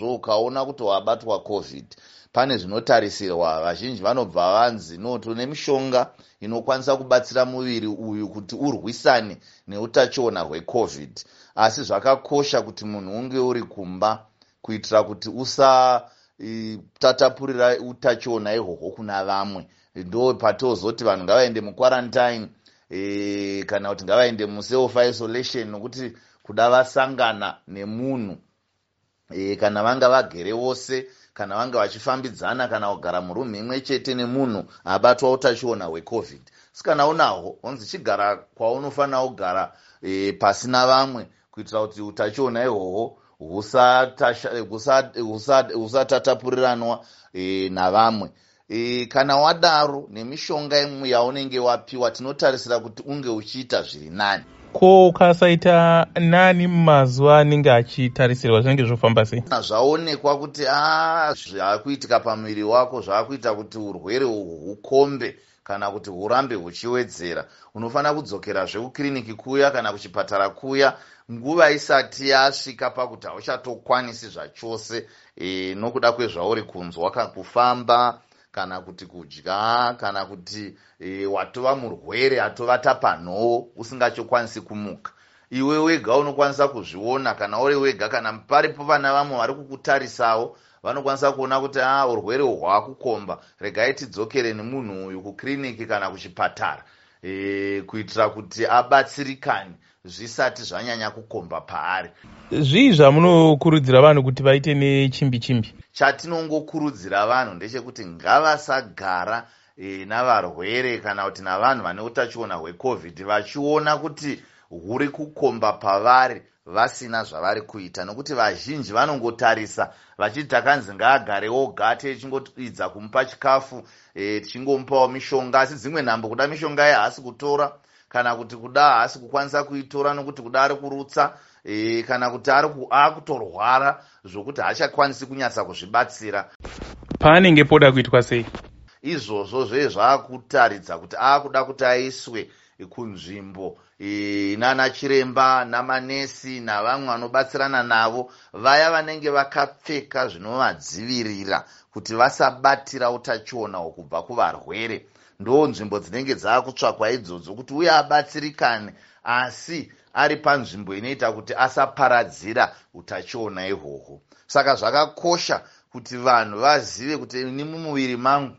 Ukaona kuti wabatwa COVID, pane zvinotarisirwa. Vazhinji vanobva vanzi, "No, tine mishonga inokwanisa kubatsira muviri uyu kuti urwisane neutachiona hweCOVID." Asi zvakakosha kuti munhu unge uri kumba kuitira kuti usatatapurira utachiona ihwohwo kuna vamwe. Ndo patozoti vanhu ngavaende muquarantine kana kuti ngavaende muself isolation, nokuti kuda vasangana nemunhu kana vanga vagere vose, kana vanga vachifambidzana, kana kugara murumu imwe chete nemunhu abatwa utachiona hweCOVID. Asi kana unahwo, onzi chigara kwaunofanira kugara pasina vamwe kuitira kuti utachiona ihwohwo husatapuriranwa navamwe. Kana wadaro, nemishonga imwe yaunenge wapiwa, tinotarisira kuti unge uchiita zviri nani. Ko ukasaita nani mumazuva anenge achitarisirwa, zvinenge zvofamba sei? Zvaonekwa kuti a zvaakuitika pamuviri wako zvaakuita kuti urwere uhwu hukombe kana kuti hurambe huchiwedzera, unofanira kudzokerazve kukiriniki kuya kana kuchipatara kuya nguva isati yasvika pakuti hauchatokwanisi zvachose nokuda kwezvauri kunzwa, kufamba kana kuti kudya, kana kuti watova murwere atovata panhowo usingachokwanisi kumuka. Iwe wega unokwanisa kuzviona kana uri wega. Kana paripo vana vamwe vari kukutarisawo, vanokwanisa kuona kuti a urwere hwakukomba, regai tidzokere nemunhu uyu kukiriniki kana kuchipatara kuitira kuti abatsirikane zvisati zvanyanya kukomba paari. Zvii zvamunokurudzira vanhu kuti vaite nechimbi chimbi? Chatinongokurudzira vanhu ndechekuti ngavasagara navarwere kana kuti navanhu vane utachiona hweCOVID vachiona kuti huri kukomba pavari vasina zvavari kuita, nokuti vazhinji vanongotarisa vachiti, "Takanzi ngaagare oga, tichingoidza kumupa chikafu, tichingomupawo mishonga." Asi dzimwe nhambo kuda mishonga ye haasi kutora, kana kuti kuda haasi kukwanisa kuitora nokuti kuda ari kurutsa kana kuti ari akutorwara zvokuti haachakwanisi kunyatsa kuzvibatsira. Paanenge poda kuitwa sei? Izvozvo zvee zvaakutaridza kuti aakuda kuti aiswe kunzvimbo nana chiremba namanesi navamwe vanobatsirana navo, vaya vanenge vakapfeka zvinovadzivirira kuti vasabatira utachiona kubva kuvarwere. Ndo nzvimbo dzinenge dzaakutsvakwa idzodzo kuti uye abatsirikane, asi ari panzvimbo inoita kuti asaparadzira utachiona ihwohwo. Saka zvakakosha kuti vanhu vazive kuti ini mumuviri mangu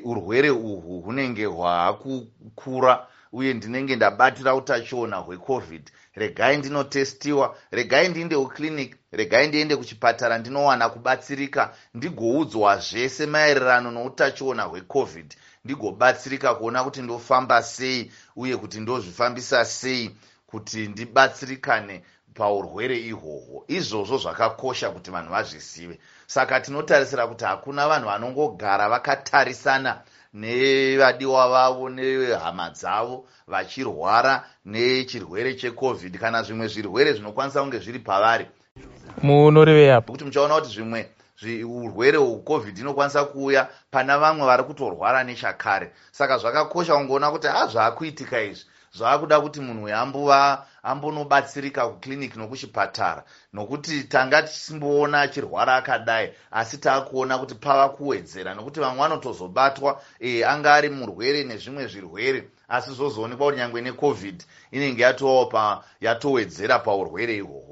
urwere uhwu hunenge hwaakukura uye ndinenge ndabatira utachiona hweCOVID. Regai ndinotestiwa, regai ndiinde kuclinic, regai ndiende kuchipatara ndinowana kubatsirika, ndigoudzwa zvese maererano noutachiona hweCOVID, ndigobatsirika kuona kuti ndofamba sei uye kuti ndozvifambisa sei kuti ndibatsirikane paurwere ihwohwo. Izvozvo zvakakosha kuti vanhu vazvizive. Saka tinotarisira kuti hakuna vanhu vanongogara vakatarisana nevadiwa vavo nehama dzavo vachirwara nechirwere cheCOVID kana zvimwe zvirwere zvinokwanisa kunge zviri pavari. Munorevei apo? Kuti muchaona kuti zvimwe urwere hweCOVID inokwanisa kuuya pana vamwe vari kutorwara nechakare. Saka zvakakosha kungoona kuti ha zvaakuitika izvi zvaakuda kuti munhu uyu ambova ambonobatsirika kuclinic nokuchipatara, nokuti tanga tichimboona achirwara akadai, asi taakuona kuti pava kuwedzera, nokuti vamwe vanotozobatwa anga ari murwere nezvimwe zvirwere, asi zvozoonekwa kuti nyangwe neCOVID inenge yatovawo yatowedzera paurwere ihwohwo.